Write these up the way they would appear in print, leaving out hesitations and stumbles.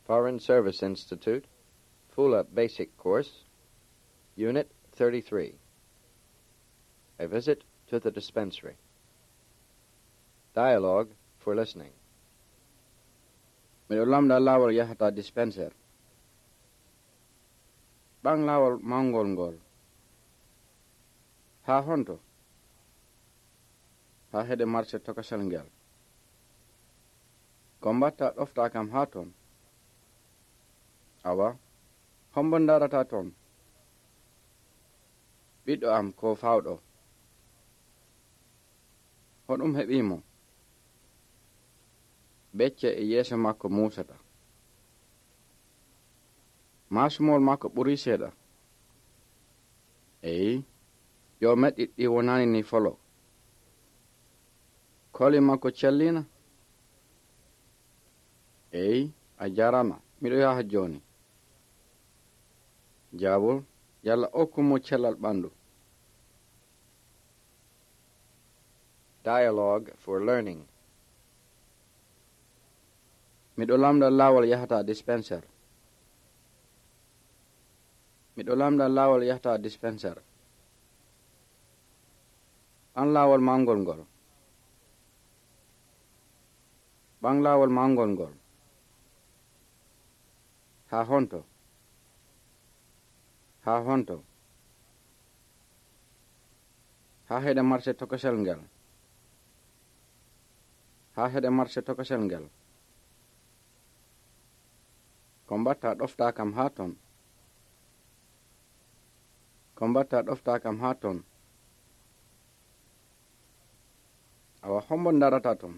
Foreign Service Institute, Fula Basic Course, Unit 33. A Visit to the Dispensary. Dialogue for Listening. Miɗo lamda laawol yahata dispenser. Ɓang laawol mawngol ngol. Haa honto? Haa heɗe marché tokosel ngel. Ko mbatta ɗofta kam haa ton? Awa, hombo ndarata ton? Ɓiɗɗo am ko fawɗo. Hoɗum heɓimo? Becce e yeeso makko muusata. Maasumol makko ɓurii seeɗa. Eyi, yo meɗɗi ɗi wonani ni folo. Koli makko cellina? Eyi, a jarama, miɗo yaha jooni. Jaabol, yalla okkumo cellal ɓandu. Dialogue for Learning. Miɗo lamda laawol yahata dispenser. Miɗo lamda laawol yahata dispenser. An laawol mawngol ngol. Ɓang laawol mawngol ngol. Haa honto? Haa honto? Haa heɗe marché tokosel ngel. Haa heɗe marché tokosel ngel. Ko mbatta ɗofta kam haa ton? Ko mbatta ɗofta kam haa ton? Awa hombo ndarata ton?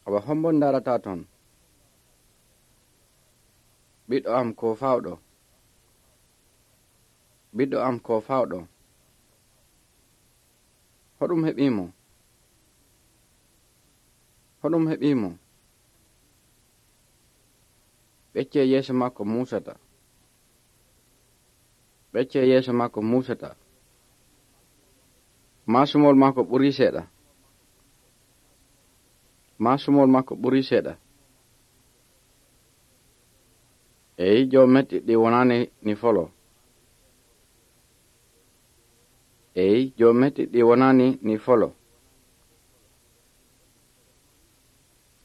Awa hombo ndarata ton? Ɓiɗɗo am ko fawɗo. Ɓiɗɗo am ko fawɗo. Hoɗum heɓimo? Hoɗum heɓimo? Becce yeeso makko muusata. Becce yeeso makko muusata. Maasumol makko ɓurii seeɗa. Maasumol makko ɓurii seeɗa. Eyi, jo meɗɗi ɗi wonani ni folo. Eyi, jo meɗɗi ɗi wonani ni folo.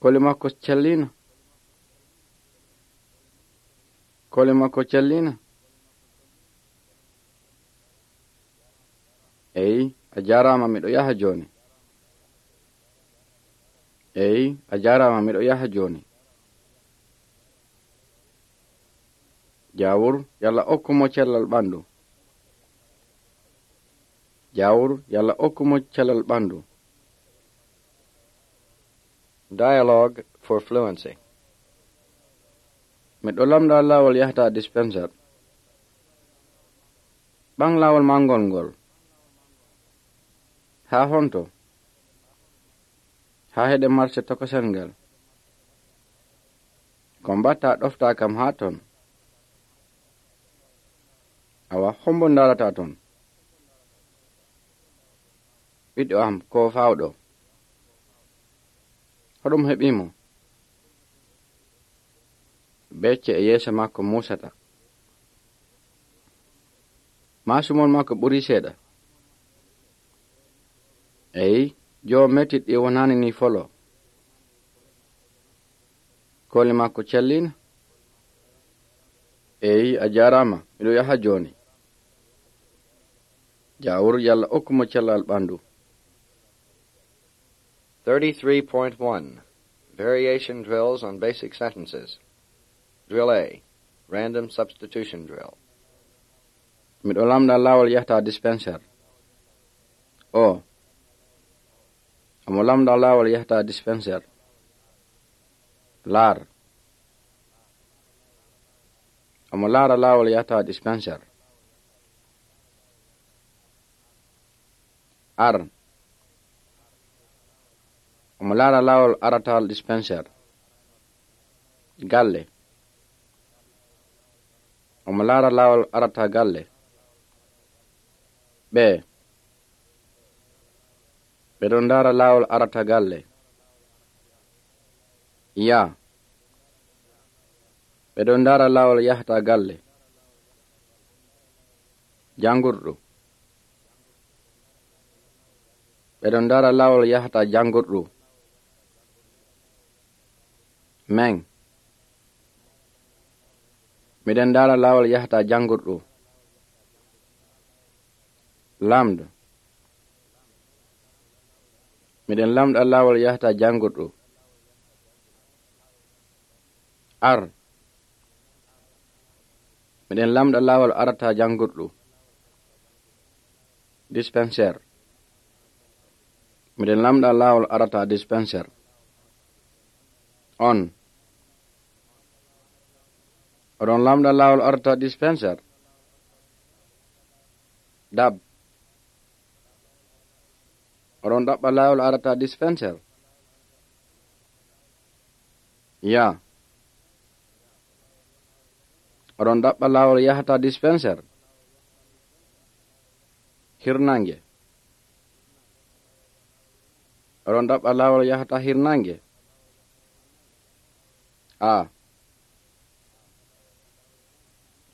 Koli makko cellina? Koli makko cellina? Eyi, a jarama, miɗo yaha jooni. Eyi, a jarama, miɗo yaha jooni. Jawur, yalla okkumo cellal ɓandu. Jawur, yalla okkumo cellal ɓandu. Dialogue for Fluency. Miɗo lamda laawol yahata dispenser. Ɓang laawol mawngol ngol. Haa honto? Haa heɗe marché tokosel ngel. Ko mbatta ɗofta kam haa ton? Awa, hombo ndarata ton? Ɓiɗɗo am ko fawɗo. Hoɗum heɓimo? Becce e yeeso makko muusata. Maasumol makko ɓurii seeɗa. Eyi, jo metti ɗi wonani ni folo. Koli makko cellina? Eyi, a jarama, miɗo yaha jooni. Jawur, yalla okkumo cellal ɓandu. 33.1. Variation drills on basic sentences. Drill A. Random substitution drill. Miɗo lamda laawol yahata dispenser. O. Amo lamda laawol yahata dispenser. Laar. Amo laara laawol yahata dispenser. Ar. Amo laara laawol aratal dispenser. Galle. Amo laara laawol arata galle. Ɓe. Ɓeɗon ndaara laawol arata galle. Ya. ɓe ɗon ndara laawol yahata galle. Jangurɗo. ɓe ɗon ndara laawol yahata jangurɗo. Men. miɗen ndara laawol yahata jangurɗo. Lamɗo. miɗen lamɗa laawol yahata jangurɗo. Ar. miɗen lamɗa laawol arata jangurɗo. Dispensaire. miɗen lamɗa laawol arata dispensaire. On. oɗon lamɗa laawol arata dispensaire. Dab. oɗon ɗaɓɓa laawol arata dispensaire. Ya. oɗon ɗaɓɓa laawol yahata dispensaire. Hirnange. oɗon ɗaɓɓa laawol yahata hirnange. A.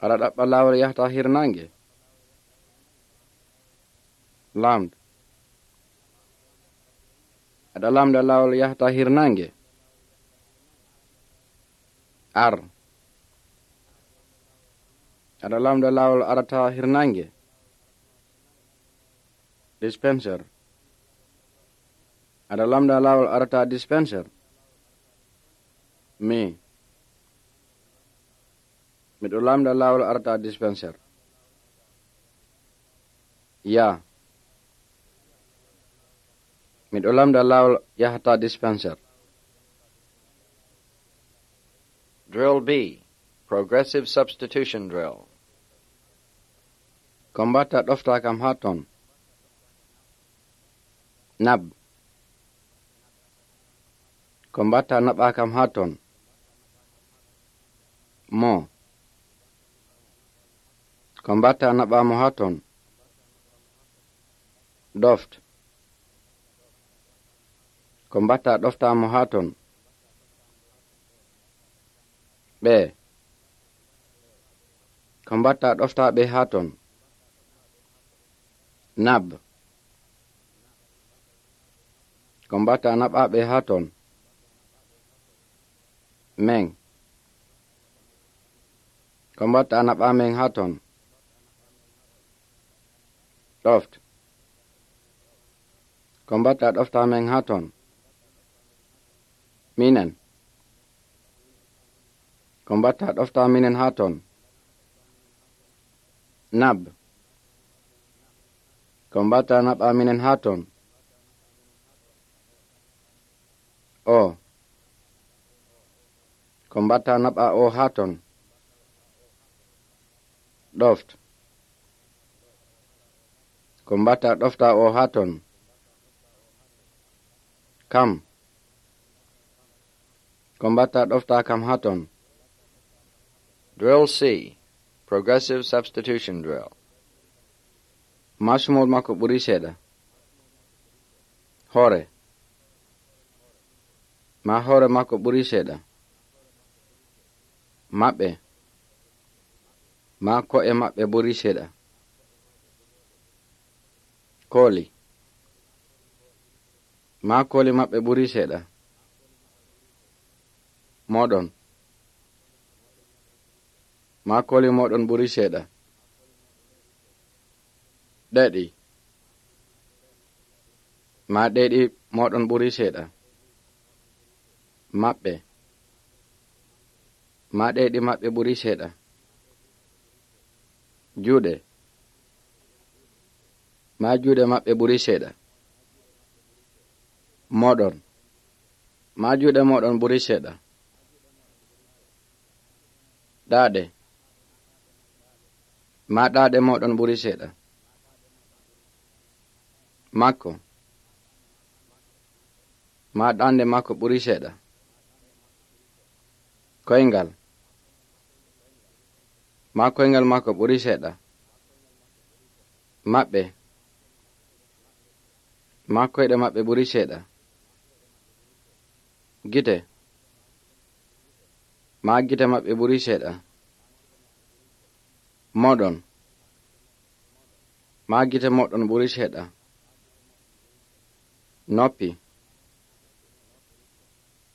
aɗa ɗaɓɓa laawol yahata hirnange. Lamd. aɗa lamɗa laawol yahata hirnange. Ar. aɗa lamɗa laawol arata hirnange. Dispensaire. aɗa lamɗa laawol arata dispensaire. Mi. miɗo lamɗa laawol arata dispensaire. Ya. miɗo lamɗa laawol yahata dispensaire. Drill B. Progressive Substitution Drill. Ko mbatta ɗofta kam ha ton. Nab. ko mbatta naɓa kam ha ton. Mo. ko mbatta naɓa mo ha ton. Doft. ko mbatta ɗofta mo ha ton. Ɓe. ko mbatta ɗofta ɓe ha ton. Nab. ko mbatta naɓa ɓe ha ton. Men. ko mbatta naɓa men ha ton. Ɗoft. ko mbatta ɗofta men ha ton. Minen. ko mbatta ɗofta minen ha ton. Nab. ko mbatta naɓa minen ha ton. O. ko mbatta naɓa o ha ton. Ɗoft. ko mbatta ɗofta o ha ton. Kam. ko mbatta ɗofta kam ha ton. Drill C. Progressive Substitution Drill. Masmol makko ɓuri seeɗa. Hoore. ma hoore makko ɓuri seeɗa. Maɓɓe. ma ko'e maɓɓe ɓuri seeɗa. Kooli. ma kooli maɓɓe ɓuri seeɗa. Moɗon. ma kooli moɗon ɓuri seeɗa. Ɗeɗi. ma ɗeɗi moɗon ɓuri seeɗa. Maɓɓe. ma ɗeɗi maɓɓe ɓuri seeɗa. Juuɗe. ma juuɗe maɓɓe ɓuri seeɗa. Moɗon. ma juuɗe moɗon ɓuri seeɗa. Ɗaaɗe. ma ɗaaɗe moɗon ɓuri seeɗa. Makko. ma ɗaande makko ɓuri seeɗa. Koyngal. ma koyngal makko ɓuri seeɗa. Maɓɓe. ma koyɗe maɓɓe ɓuri seeɗa. Gite. maa gite maɓɓe ɓuri seeɗa. Moɗon. maa gite moɗon ɓuri seeɗa. Noppi.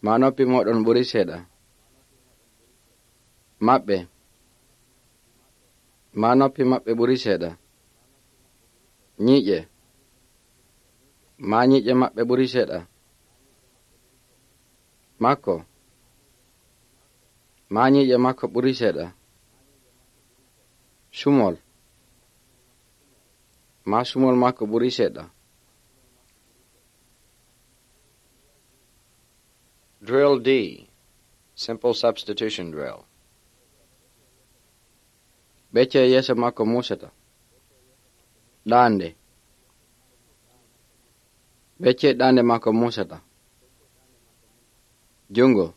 maa noppi moɗon ɓuri seeɗa. Maɓɓe. maa noppi maɓɓe ɓuri seeɗa. Nyiiƴe. maa nyiiƴe maɓɓe ɓuri seeɗa. Makko. maa nyiiƴe makko ɓuri seeɗa. Sumol. maa sumol makko ɓuri seeɗa. Drill D. Simple substitution drill. Becce yeeso makko muusata. Ɗaande. Becce ɗaande makko muusata. Jungo.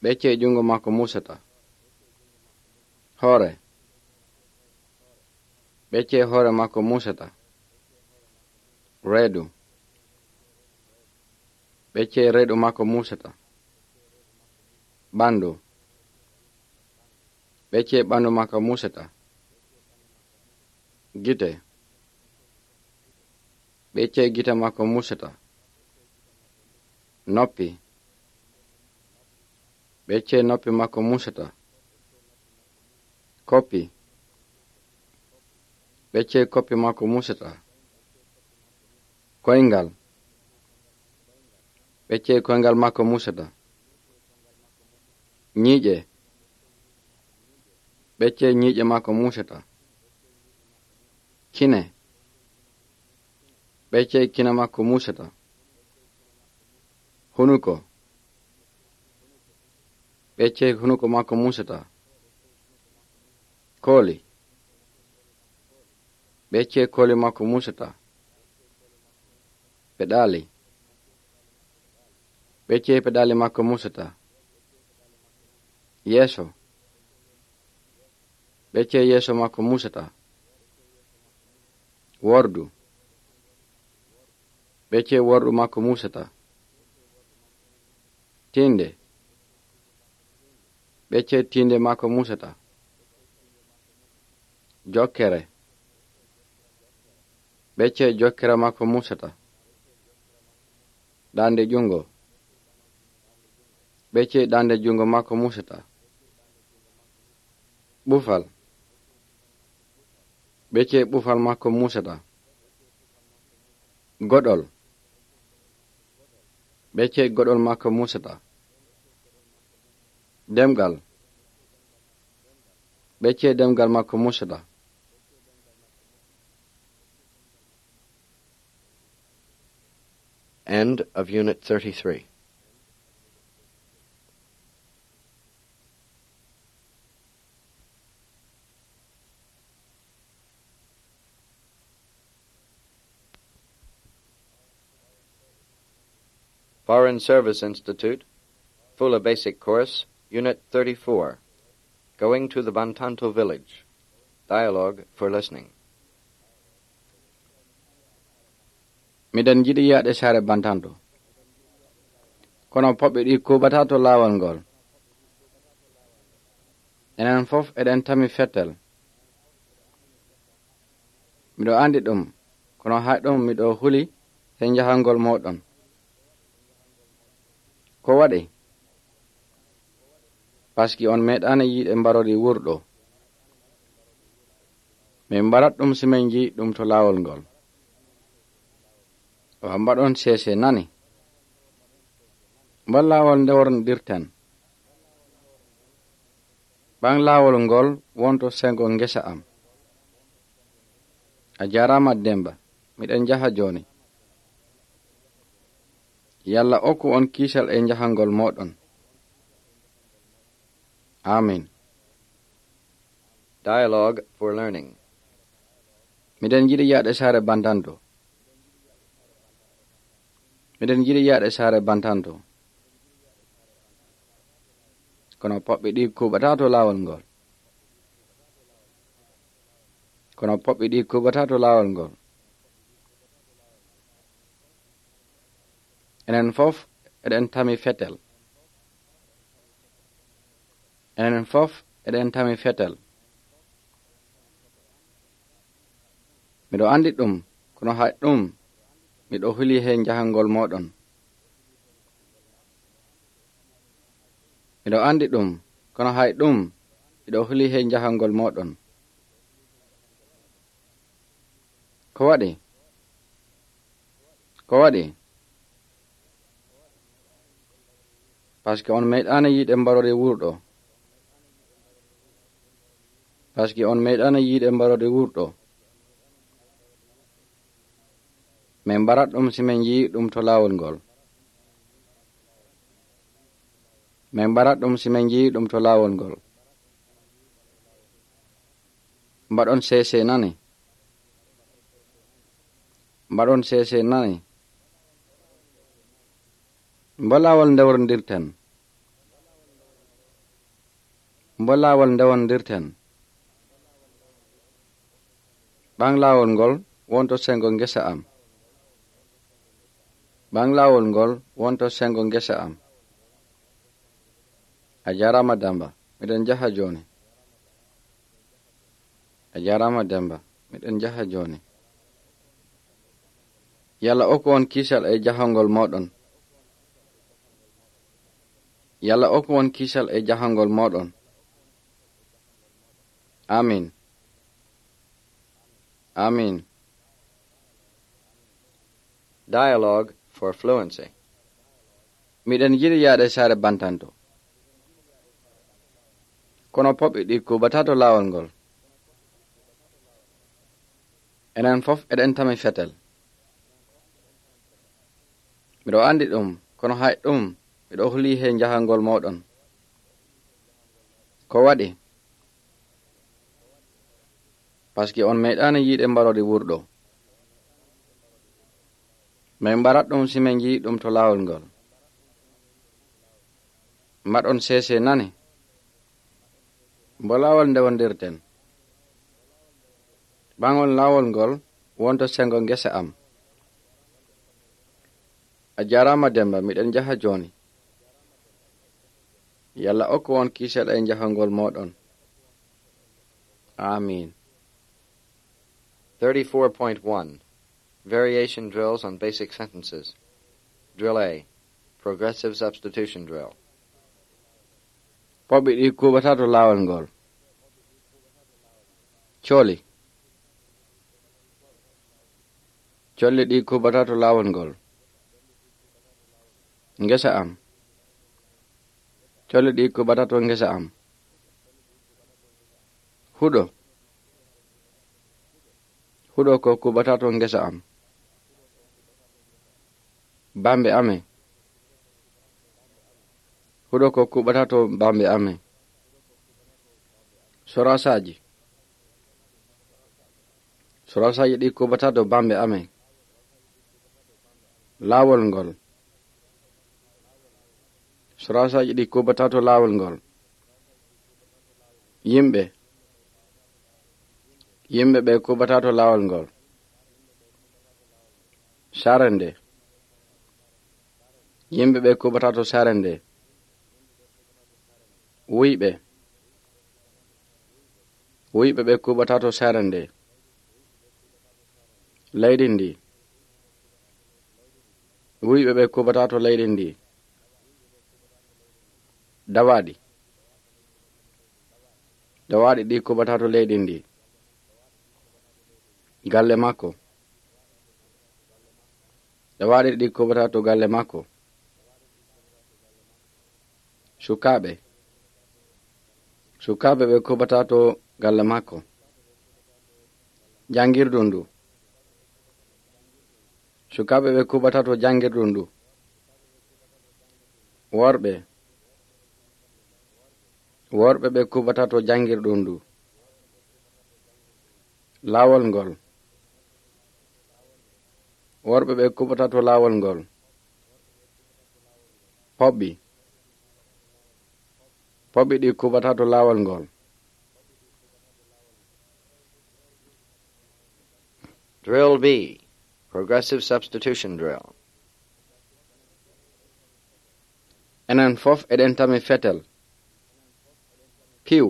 Becce jungo makko muusata. Hoore. Becce hoore makko muusata. Reedu. Becce reedu makko muusata. Ɓandu. Becce ɓandu makko muusata. Gite. Becce gite makko muusata. Noppi. Becce noppi makko muusata. Koppi. Becce koppi makko muusata. Koyngal. Becce koyngal makko muusata. Nyiiƴe. Becce nyiiƴe makko muusata. Kine. Becce kine makko muusata. Hunuko. Becce hunuko makko muusata. Kooli. Becce kooli makko muusata. Peɗaali. Becce peɗaali makko muusata. Yeeso. Becce yeeso makko muusata. Wordu. Becce wordu makko muusata. Tinde. Becce tinde makko muusata. Jokkere. Becce jokkere makko muusata. Ɗaande jungo. Becce ɗaande jungo makko muusata. Ɓufal. Becce ɓufal makko muusata. Goɗol. Becce goɗol makko muusata. Demgal. Becce demgal makko muusata. End of Unit 33. Foreign Service Institute, Fula Basic Course, Unit 34. Going to the Bantanto Village. Dialogue for listening. Miɗen jiɗi yaade saare Bantanto. Kono poɓɓe ɗi kuɓata to laawol ngol. Enen fof eɗen tami fettel. Miɗo andi ɗum, kono hayɗum miɗo huli e njahangol moɗon. Ko waɗi? Paski on meeɗaani yiide mbarori wurɗo. Min mbarat ɗum simen jii ɗum to laawol ngol. O mbaɗon seese nani. Mbal laawol ndeworndirten. Ɓan laawol ngol wonto sengo ngesa am. A jarama Demba, miɗen jaha joni. Yalla okku on kiisal e njahangol moɗon. Amin. Dialogue for learning. Miɗen jiɗi yaade saare Bantanto. Miɗen jiɗi yaade saare Bantanto. Kono poɓɓe ɗi kuɓata to laawol ngol. Kono poɓɓe ɗi kuɓata to laawol ngol. Enen fof eɗen tami fetel. enen fof eɗen tami fetel. Miɗo andi ɗum, kono hay ɗum miɗo huli heen jahangol moɗon. Miɗo andi ɗum, kono hay ɗum miɗo huli heen jahangol moɗon. Ko waɗi? Ko waɗi? Paske on meeɗaani yiide mbarode wurɗo. Paske on meeɗaani yiide mbarode wurɗo. Min mbarat ɗum si min yii ɗum to laawol ngol. Min mbarat ɗum si min yii ɗum to laawol ngol. Mbaɗon seese nani. Mbaɗon seese nani. Mbo laawol ndewondirten. Mbo laawol ndewondirten. Ɓang laawol ngol wonto sengo ngesa am. Ɓang laawol ngol wonto sengo ngesa am. A jarama Demba, miɗen jaha joni. A jarama Demba, miɗen jaha joni. Yalla okku on kisal e jahangol moɗon. Yalla okku on kisal e jahangol moɗon. Amin. Amin. Dialogue for fluency. Miɗen yiɗi yaade saare bantanto. Kono poɓɓe ɗi kuɓatato laawol ngol. Enen fof eɗen tami fetel. Miɗo andi ɗum, kono hay ɗum miɗo huli heen jahangol moɗon. Ko waɗi? Paske on meeɗaani yiide mbarode wurɗo. Min mbarat ɗum si min yii ɗum to laawol ngol. Mbaɗon seese nani. Mbo laawol ndewondirten. Ɓangol laawol ngol wonto sengo ngesa am. A jarama Demba, miɗen jaha joni. Yalla okku on kisal e jahangol moɗon. Amin. 34.1 Variation drills on basic sentences. Drill A. Progressive substitution drill. Poɓɓe ɗi kuɓatato laawol ngol. Cooli. Colli ɗi kuɓatato laawol ngol. Ngesa am. Colli ɗi kuɓatato ngesa am. Huɗo. Huɗo ko kuɓatato ngesa am. Bambe ame. Huɗo ko kuɓatato bambe ame. Sorasaji. Sorasaji ɗi kuɓatato bambe ame. Laawol ngol. Sorasaji ɗi kuɓatato laawol ngol. Yimɓe. Yimɓe ɓe kuɓatato laawol ngol. Sarende. Yimɓe ɓe kuɓatato sarende. Wuyɓe. Wuyɓe ɓe kuɓatato sarende. Leydi ndi. Wuyɓe ɓe kuɓatato leydi ndi. Dawaɗi. Dawaɗi ɗi kuɓatato leydi ndi. Galle makko. Dawaɗi ɗi kuɓatato galle makko. Sukaɓe. Sukaɓe ɓe kuɓatato galle makko. Jangirdu ndu. Sukaɓe ɓe kuɓatato jangirdu ndu. Worɓe. Worɓe ɓe kuɓatato jangirdu ndu. Laawol ngol. Worɓe ɓe kuɓatato laawol ngol. Poɓɓi. Poɓɓi ɗi kuɓatato laawol ngol. Drill B. Progressive substitution drill. Enen fof eɗen tami fetel. piiw.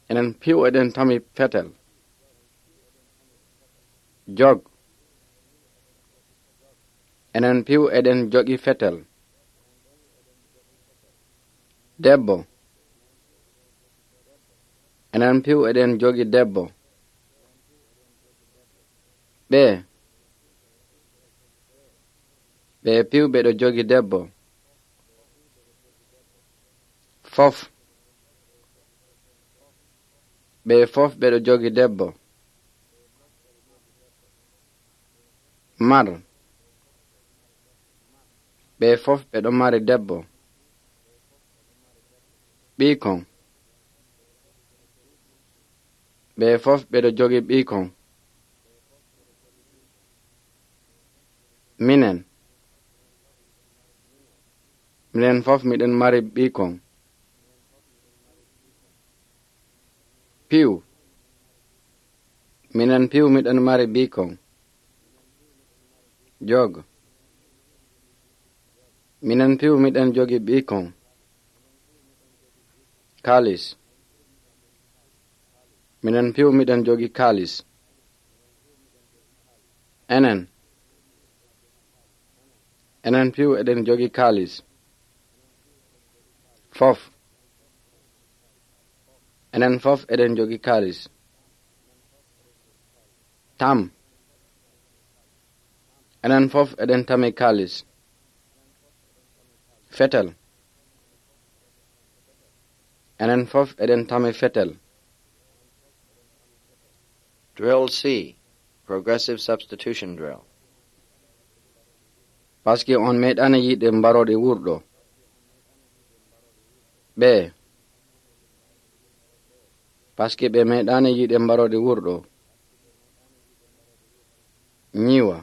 Enen piiw eɗen tami fetel. Jog. Enen piiw eɗen jogi fetel. Debbo. Enen piiw eɗen jogi debbo. Ɓee. Ɓee piiw ɓeɗo jogi debbo. Fof. Ɓee fof ɓeɗo jogi debbo. Mar. Ɓee fof ɓeɗo mari debbo. Ɓiikon. Ɓee fof ɓeɗo jogi ɓiikon. Minen. Minen fof miɗen mari ɓiikon. Piiw. Minen piiw miɗen mari ɓiikon. Jog. Minen piiw miɗen jogi ɓiikon. Kaalis. Minen piiw miɗen jogi kaalis. Enen. Enen piiw eɗen jogi kaalis. Fof. Enen fof eɗen jogi kaalis. Tam. Enen fof eɗen tami kaalis. Fetel. Enen fof eɗen tami fetel. Drill C. Progressive Substitution Drill. Paski on meɗani yiɗe mbaroɗe wurɗo. Ɓee. Paski ɓe meɗani yiɗe mbaroɗe wurɗo. Nyiwa.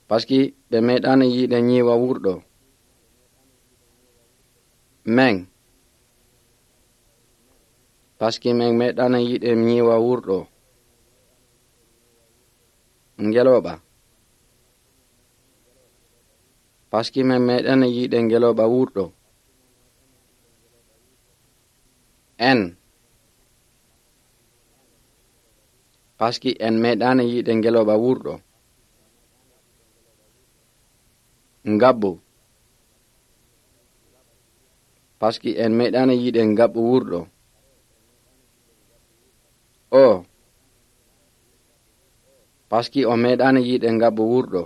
Paski ɓe meɗani yiɗe nyiwa wurɗo. Meng. Paski men meɗani yiɗe nyiwa wurɗo. Ngeloɓa. Paski men meɗani yiɗe ngeloɓa wurɗo. En. Paski en meɗani yiɗe ngeloɓa wurɗo. Ngabbu. Paski en meɗani yiɗe ngabbu wurɗo. O. Paski o meɗani yiɗe ngabbu wurɗo.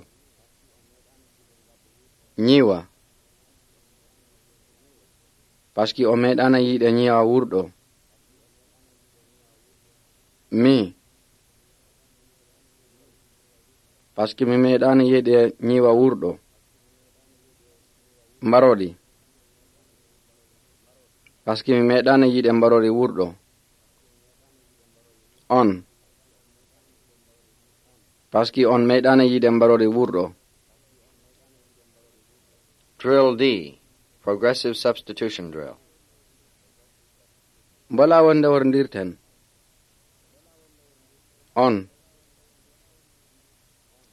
Nyiwa. Paski o meɗani yiɗe nyiwa wurɗo. Mi. Paski mi meɗani yiɗe nyiwa wurɗo. Mbaroɗi. Paski mi meɗani yiɗe mbaroɗi wurɗo. On. Paski on meɗani yiɗe mbaroɗi wurɗo. Drill D. Progressive Substitution Drill. Mbola wonde worndirten. On.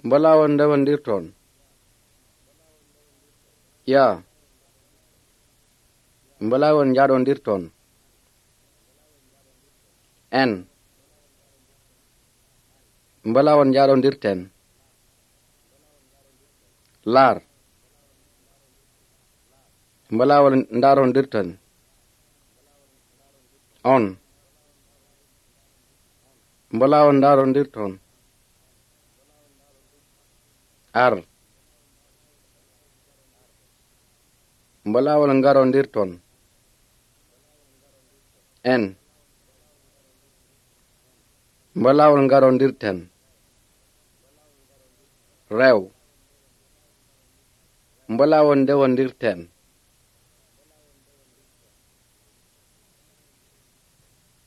Mbola wonde wondirton. Ya. Mbola won jaɗondirton. En. Mbola won jaɗondirten. Lar. Mbola won ndarondirten. On. Mbola won ndarondirton. Ar. Mbola won ngarondirton. En. Mbola won ngarondirten. Rew. Mbola won ndewondirten.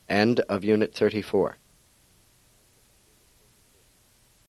End of Unit 34.